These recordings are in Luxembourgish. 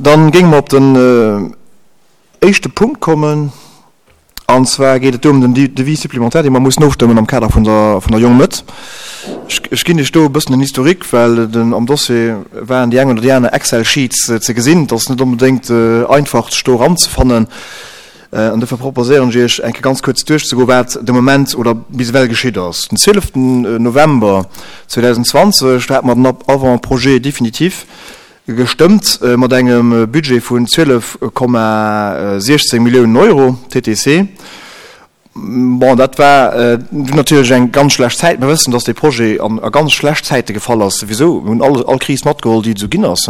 Dann géinge mer op den éischte Punkt kommen, an zwar geet et do ëm den Devis supplémentaire, dee mer mussen ofstëmmen am Kader vun der vun der Jong Mëtt. Ech ginn Iech do e bëssen den Historique, well den am Dossier waren déi eng oder déi aner Excel-Sheets ze gesinn. Et ass net onbedéngt einfach, sech do eranzefannen. An dofir proposéieren ech Iech, eng Kéier ganz kuerz duerchzegoen, wat de Moment oder bis ewell geschitt ass. Den 12 November 2020, do hate mer den Avant-projet définitif gestëmmt mat engem Budget vun 12,16 Milliounen Euro, TTC. Bon, dat war dunn natierlech eng ganz schlecht Zäit. Mir wëssen, dass dee Projet an a ganz schlecht Zäite gefall ass souwisou. Mir hunn all all Kris matgeholl, déi et esou ginn ass.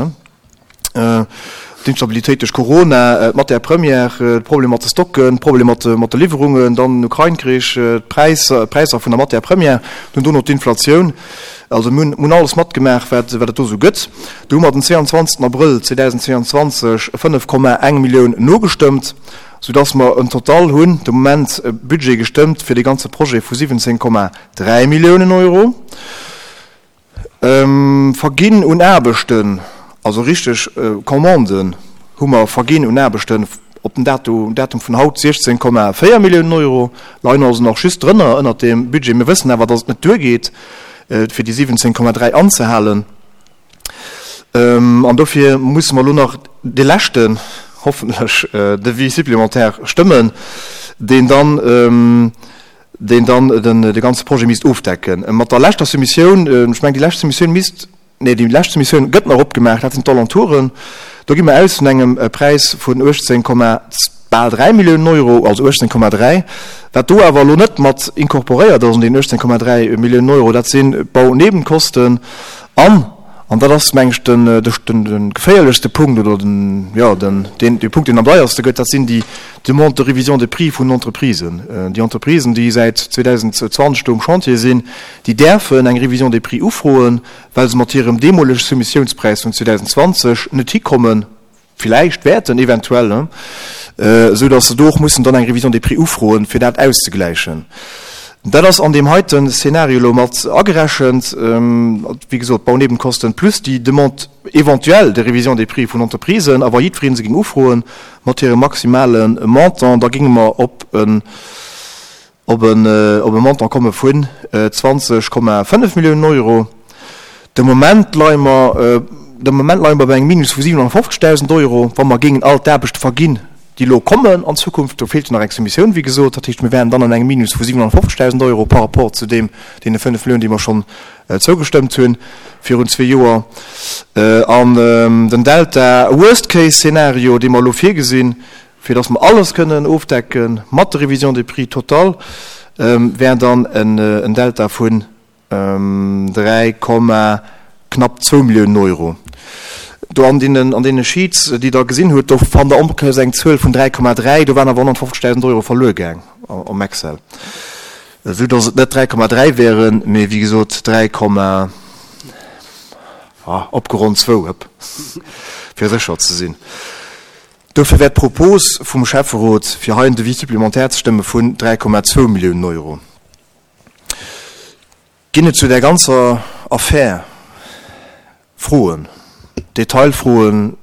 D'Instabilitéit duerch Corona, d'Matière première, de Problem mat de Stocken, de Problem mat de Liwwerungen, dann den Ukrain-Krich, d'Präisser, d'Präisser vun der Matière première, dunn dono d'Inflatioun. Also mir hunn alles matgemaach, wat et do esou gëtt. Do hu mer den 22 Abrëll 2022 5,1 Millioun nogestëmmt, soudass mer en Total hunn de Moment e Budget gestëmmt fir dee ganze Projet vu 17,3 Milliounen Euro. Verginn un Aarbechten, also richteg Commanden hu mer verginn un Aarbechten op den Datum vun haut 16,4 Milliounen Euro, leien also nach just drënner ënnert deem Budget. Mir wëssen awer, datt et net duergeet, fir déi 17,3 anzehalen. An dofir musse mer elo nach dee leschten, hoffentlech, Devis supplémentaire stëmmen, deen dann, deen dann de ganze Projet misst ofdecken. Mat der leschter Soumissioun, ech mengen déi lescht Soumissioun misst, nee déi lescht Soumissioun gëtt nach opgemaach, dat sinn d'Alentouren, do gi mer aus vun engem Präis vun 18, bal 3 Milliounen Euro, also 18,3. Wat do awer elo net mat incorporéiert ass an deenen 18,3 Milliounen Euro, dat sinn d'Baunebenkosten an, An dat ass, meng ech, den, de geféierlechste Punkt oder den, jo, den, deen, dee Punkt, deen am deierste gëtt, dat sinn déi Demandes de révision de prix vun den Entreprisen. Déi Entreprisen, déi säit 2020 do um Chantier sinn, déi däerfen eng Révision des prix ufroen, well se mat hirem deemolege Soumissiounspräis vun 2020 net hikommen, villäicht wäerten, eventuell, esou datt se do och mussen dann eng Révision des prix ufroen, fir dat auszegläichen. Dat ass an deem heiten Szenario elo mat agerechent, wéi gesot, d'Baunebenkosten plus déi Demande éventuelle de révision des prix vun Entreprisen. A wa jiddweree se géing ufroen mat hirem maximale Montant, da géinge mer op en op e Montant komme vun 20,5 Milliounen Euro. De Moment leie mer, de Moment leie mer bei engem Minus vu 750.000 Euro, wa mer géingen all d'Aarbechte verginn, déi elo kommen an Zukunft. Do feelt jo nach eng Soumissioun, wéi gesot. Dat heescht, mir wären dann an engem Minus vu 750.000 Euro par rapport zu deem, deene 5 Milliounen, déi mer schonn zougestëmmt hunn virun zwee Joer. An den Delta Worst-Case-Szenario, dee mer elo virgesinn, Fir dass mer alles kënnen ofdecke mat der Révision des prix totale, wär dann en Delta vun 3, knapp zwou Milliounen Euro. Do an deenen, an deene Sheets, déi Der gesinn hutt, do fannt Der onbekëss eng Zuel vun 3,3, do waren awer 150.000 Euro verluer gaang am Excel, esou dass et net 3,3 wären, mee wéi gesot 3, opgeronnt zwou, hëpp, fir sécher ze sinn. Dofir wär d'Propos vum Schäfferot, fir hei en Devis supplémentaire ze stëmme vun 3,2 Milliounen Euro. Ginn et zu där ganzer Affär Froen, Detailfroen,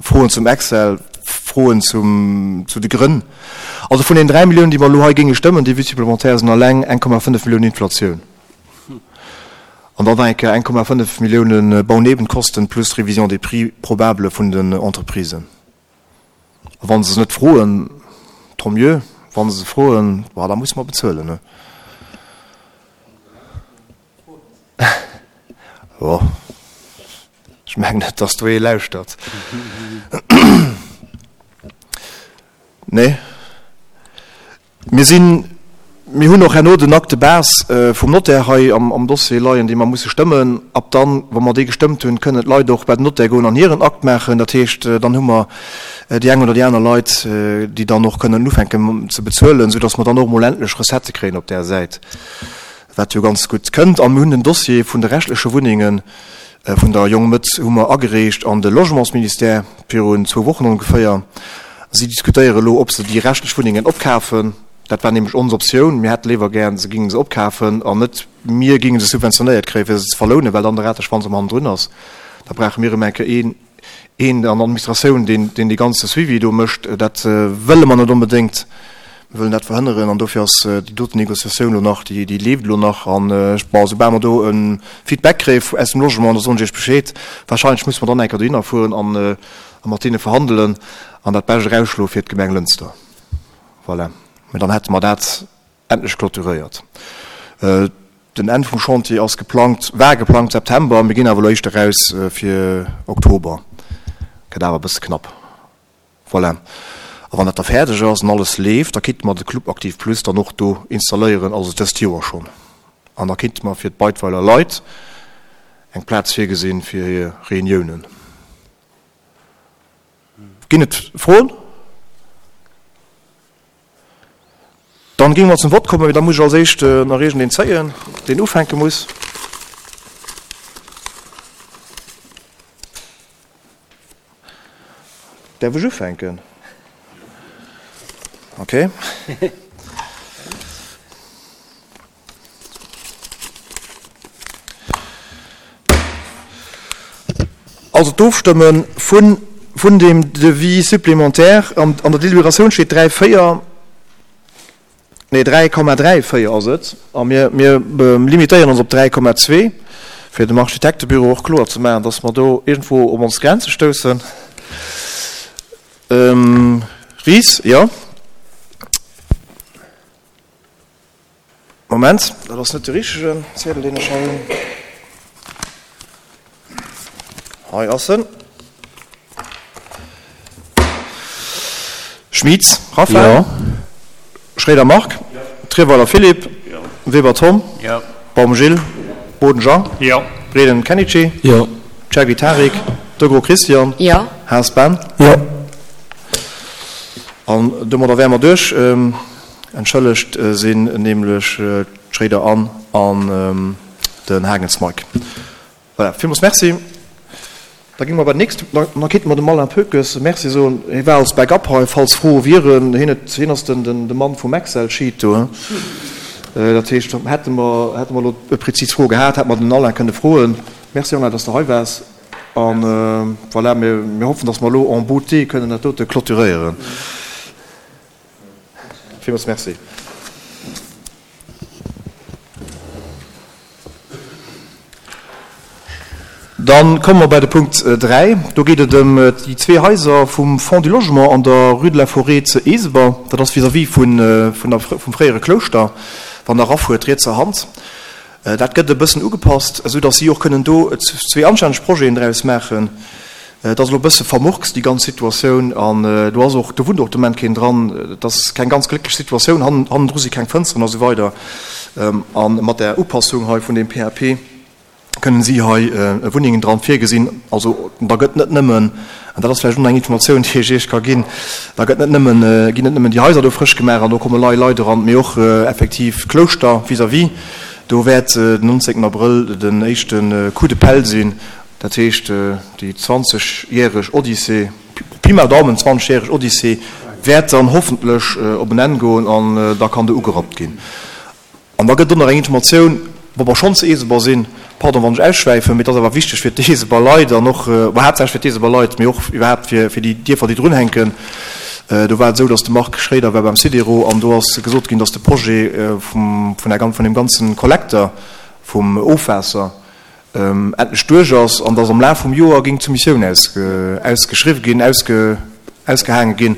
Froen zum Excel, Froen zum, zu de Grënn? Also vun den 3 Milliounen, déi mer elo hei géinge stëmmen, Devis supplémentaire, sinn alleng 1,5 Milliounen Inflatioun. An dann nach eng Kéier 1,5 Milliounen Baunebenkosten plus Révision des prix probable vun den Entreprisen. A wa se se net froen, tant mieux, wa se se froen, bah, da musse mer bezuelen, ne? Jo, ech mengen net, dass do ee lauschtert. Nee. Mir sinn, mir hunn och herno den Acte de base vum Notaire hei am Dossier leien, dee mer musse stëmmen. Ab dann, wa mer dee gestëmmt hunn, kënnen d'Leit och bei den Notaire goen an hiren Akt maachen. Dat heescht, dann hu mer déi eng oder déi aner Leit, déi dann och kënnen ufänken ze bezuelen, soudass mer dann och emol endlech Recettë kréien op där Säit, wat jo ganz gutt kënnt. A mir hunn den Dossier vun de reschtleche Wunnengen vun der Jong Mëtt hu mer agereecht an de Logementsministère virun zwou Wochen ongeféier. Si diskutéiere elo, ob se déi reschtlech Wunnengen opkafen. Dat war nämlech ons Optioun. Mir hätte léiwer gären, se géinge se opkafen an net mir géinge se subventionéiert kréien, fir se ze verlounen, well dann de Rateschwanz am hannendrun ass. Da brauche mir erëm eng Kéier een. Een an der Administratioun, deen dee ganze Suivi do mécht. Dat wëlle mer net onbedéngt. Mir wëllen dat verhënneren an dofir ass déi doten Négociatioun elo nach, déi leeft elo nach. An bon, soubal mer do e Feedback kréie aus dem Logement, da soen ech Iech Bescheed. Wahrscheinlech musse mer dann eng Kéier dohinner fueren a mat deene verhandelen an dat Bescht erausschloe fir d'Gemeng Lënster. Voilà. Mä dann hätte mer dat endlech clôturéiert. Den Enn vum Chantier ass geplangt, war geplangt September, mir ginn awer elo éischter eraus fir Oktober. Gëtt awer e bësse knapp. Voilà. A wann dat da fäerdeg ass an alles leeft, da kéinte mer de Club Aktiv Plus dann och do installéieren, also dëst Joer schonn. An da kéinte mer fir d'Beidweiler Leit eng Plaz virgesinn fir hir Reuniounen. Ginn et Froen? Dann géinge mer zum Vott kommen, mee da muss ech als éischt nach iergendeen zéien, deen ufänke muss. Däerf ech ufänken? Okay. Also d'Ofstëmme vun vun deem Devis supplémentaire, an an der Deliberatioun steet 3, 4, nee 3,34 ass et, a mir mir limitéieren ons op 3,2, fir dem Architektebüro och kloer ze maachen, dass mer do iergendwou op ons Grenze stoussen. Ries, jo. Moment, dat ass net de richtegen Ziedel, deen ech hei hunn. Hei ass en. Schmitz Raphaël. Jo. Schréider Marc. Jo. Trierweiler Philippe. Jo. Weber Tom. Jo. Baum Gilles. Boden Jean. Jo. Breden Kenichi. Jo. Chergui Tarik. Degros Christian. Jo. Haas Ben. Jo. An domadder wäre mer duerch. Entschëllegt sinn nämlech d'Schréider Anne an den Hagens Mike. Voilà, villmools Merci. Da gi mer bei den nächste, da kéinte mer dem Alain Poekes Merci soen. Hie war als Backup hei, falls Froe wieren. Hien huet, hien ass den de Mann vum Excel-Sheet do. Dat heescht, hätte mer, hätte mer elo e prezis Fro gehat, hätte mer den Alain kënne froen. Merci Alain, dass de hei waars. An voilà, mir, mir hoffen, dass mer elo en beauté kënnen dat dote clôturéieren. Villmools Merci. Dann komme mer bei de Punkt 3. Do geet et ëm déi zwee Haiser vum Fonds du Logement an der Rue de la Forêt zu Eeseber. Dat ass vis-à-vis vun der, vum fréiere Klouschter, wann Der erafuert, rietser Hand. Dat gëtt e bëssen ugepasst, esou datt si och kënnen do zwee anstänneg Projeten draus maachen. Et ass elo e bësse vermurkst, déi ganz Situatioun, an do ass och, do wunnt och de Moment keen dran. Et ass keng ganz glécklech Situatioun, hannendru si keng Fënsteren a sou weider. A mat där Upassung hei vun deem PAP kënnen si hei Wunnengen dran virgesinn. Also da gëtt net nëmmen, an dat ass vläicht och nach eng Informatioun, déi ech Iech ka ginn, da gëtt net nëmmen, ginn net nëmmen déi Haiser do frësch gemaach an do komme lei Leit eran, mee och effektiv d'Klouschter vis-à-vis. Do wäert den 19 Abrëll den éischte Coup de pelle sinn, dat heescht déi 20 järeg Odyssee, Pi mal Daumen 20 järeg Odyssee wäert dann hoffentlech op en Enn goen an da kann do ugerappt ginn. An da gëtt och nach eng Informatioun, wa mer schonn zu Eeseber sinn, pardon wann ech ausschwäifen, mee et ass awer wichteg fir d'Eeseber Leit an och, bon haaptsächlech fir d'Eeseber Leit, mee och iwwerhaapt fir fir déi Dierfer déi drunhänken. Do war et esou, datt de Marc Schréider war beim Sidero an do ass gesot ginn, datt de Projet vum vun der vun deem ganze Kollekter vum Ofwaasser, endlech duerch ass an dass am Laf vum Joer géing d'Soumissioun ausgeschriww ginn, ausgehaange ginn,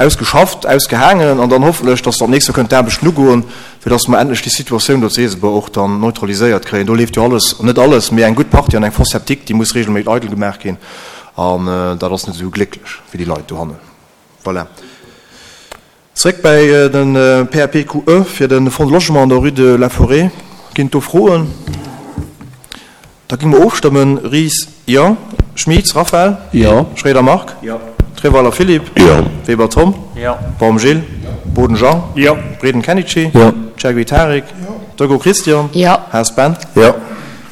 ausgeschafft, ausgehaangen an dann hoffentlech, dass dann d'nächst Joer kënnen d'Aarbechten ugoen, fir dass mer endlech déi Situatioun do zu Eesebuer och dann neutraliséiert kréien. Do leeft jo alles, net alles, mee eng gutt Partie an eng Fosse septique, déi muss regelméit eidel gemaach ginn an dat ass net esou glécklech fir déi Leit dohannen. Voilà. Zréck bäi de PAPQE fir de Fonds de Logement an der Rue de la Forêt. Ginn et do Froen? Da gi mer ofstëmmen. Ries, Jo. Schmitz Raphaël? Jo. Schroeder Marc? Jo. Treweiler Philippe? Jo. Weber Tom? Jo. Baum Gilles? Jo. Boden Jean? Jo. Breden Kenichi? Jo. Chergui Tarik? Jo. Degaux Christian? Jo. Haas Ben? Jo.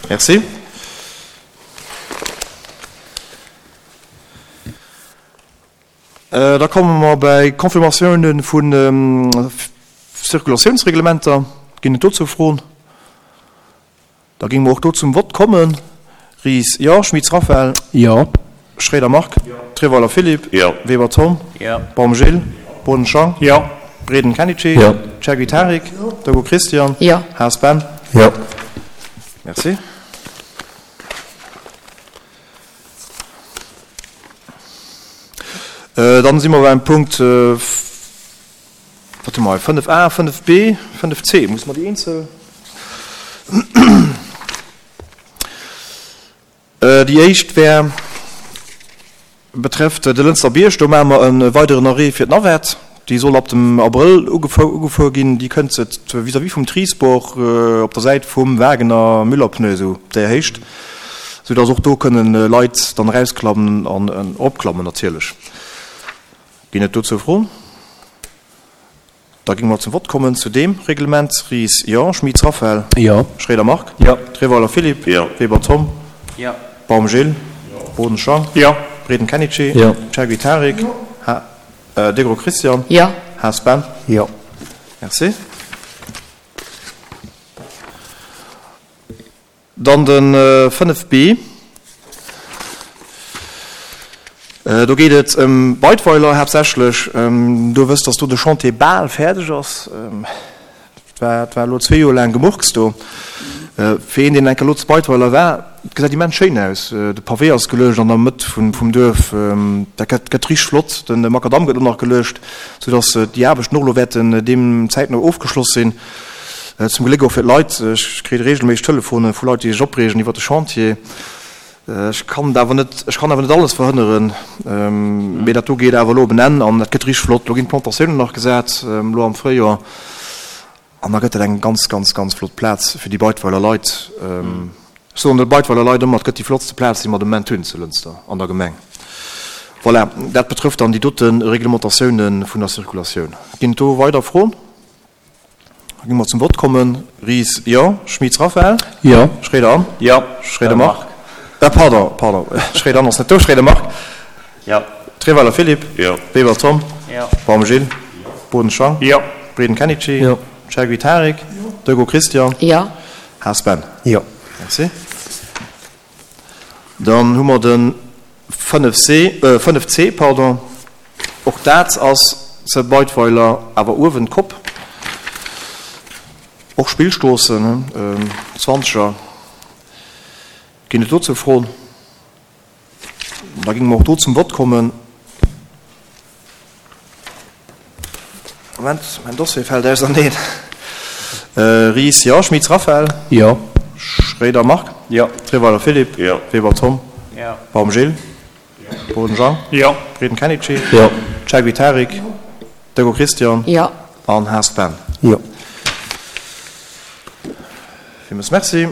Merci. Da komme mer bäi Confirmatiounen vu Circulatiounsreglementer. Ginn et dozou Froen? Da géinge mer och do zum Vott kommen. Ries, Jo. Schmitz Raphaël? Jo. Schroeder Marc. Treweiler Philippe. Weber Tom. Baum Gilles. Boden Jean. Breden Kenichi. Chergui Tarik. Degout Christian. Haas Ben. Merci. Dann si mer beim Punkt, wat hu mer hei, 5a, 5b, 5c. Musse mer déi eenzel? Déi éischt wär, betrefft de Lënster Bierg. Do maache mer e weideren Arrêt fir d'Navette. Déi soll ab dem Abrëll ugefuer ginn. Déi kënnt vis-à-vis vum Trisport op der Säit vum Wagener Müller-Pneu, esou op där Héicht, soudass och do kënnen Leit dann erausklammen an eropklammen natierlech. Ginn et dozou Froen? Da géinge mer zum Vott kommen zu deem Reglement. Ries, Jo. Schmitz Raphaël. Jo. Schroeder Marc. Jo. Treweiler Philippe. Jo. Weber Tom. Jo. Baum Gilles. Jo. Boden Jean. Jo. Breden Kenichi. Jo. Chergui Tarik. Jo. Degro Christian. Jo. Haas Ben. Jo. Merci. Dann de 5 B, do geet et ëm Beidweiler haaptsächlech. Do wësst, dass do de Chantier bal fäerdeg ass. Et war, et war elo zwee Joer laang Gemurks do. Fir een, deen eng Kéier elo zu Beidweiler war, et gesäit immens schéin aus. De Pavé ass geluecht an der Mëtt vum Duerf. Dat gëtt, gëtt richteg flott. De Makadamm gëtt elo nach geluecht, soudass déi Aarbechten och elo wäerten deem zäitno ofgeschloss sinn. Zum Gléck och fir d'Leit. Ech kritt reegelméisseg Telefone vu Leit, déi sech opreegen iwwer de Chantier. Ech kann et awer net, ech kann awer net alles verhënneren. Mee dat do geet awer elo op en Enn an dat gëtt richteg flott. Elo ginn d'Plantatiounen nach gesat, elo am Fréijoer. An da gëtt dat eng ganz, ganz, ganz flott Plaz fir déi Beidweiler Leit. Ech soen de Beidweiler Leit ëmmer, et gëtt déi flottste Plaz, déi mer de Moment hunn zu Lënster an der Gemeng. Voilà, dat betrëfft dann déi dote Reglementatiounen vun der Circulatioun. Ginn et do weider Froen? Da gi mer zum Vott kommen. Ries, Jo. Schmitz Raphaël? Jo. Schroeder Anne? Jo. Schroeder Marc? Äh, pardon, pardon, Schroeder Anne ass net do. Schroeder Marc? Jo. Treweiler Philippe? Jo. Weber Tom? Jo. Baum Gilles? Jo. Boden Jean? Jo. Breden Kenichi? Jo. Chergui Tarik? Jo. Degout Christian? Jo. Haas Ben? Jo. Merci. Dann hu mer de 5C, 5C, pardon. Och dat ass ze Beidweiler, awer uewen d'Kopp. Och Spillstroossen, Zwanzeger. Ginn et dozou Froen? Da géinge mer och do zum Vott kommen. Moment, mäin Dossier fält auserneen. Ries, jo. Schmitz Raphaël? Jo. Schroeder Marc? Jo. Treweiler Philippe? Jo. Weber Tom? Jo. Baum Gilles? Jo. Boden Jean? Jo. Breden Kenichi? Jo. Chergui Tarik? Jo. Degout Christian? Jo. An Haas Ben? Jo. Villmools Merci.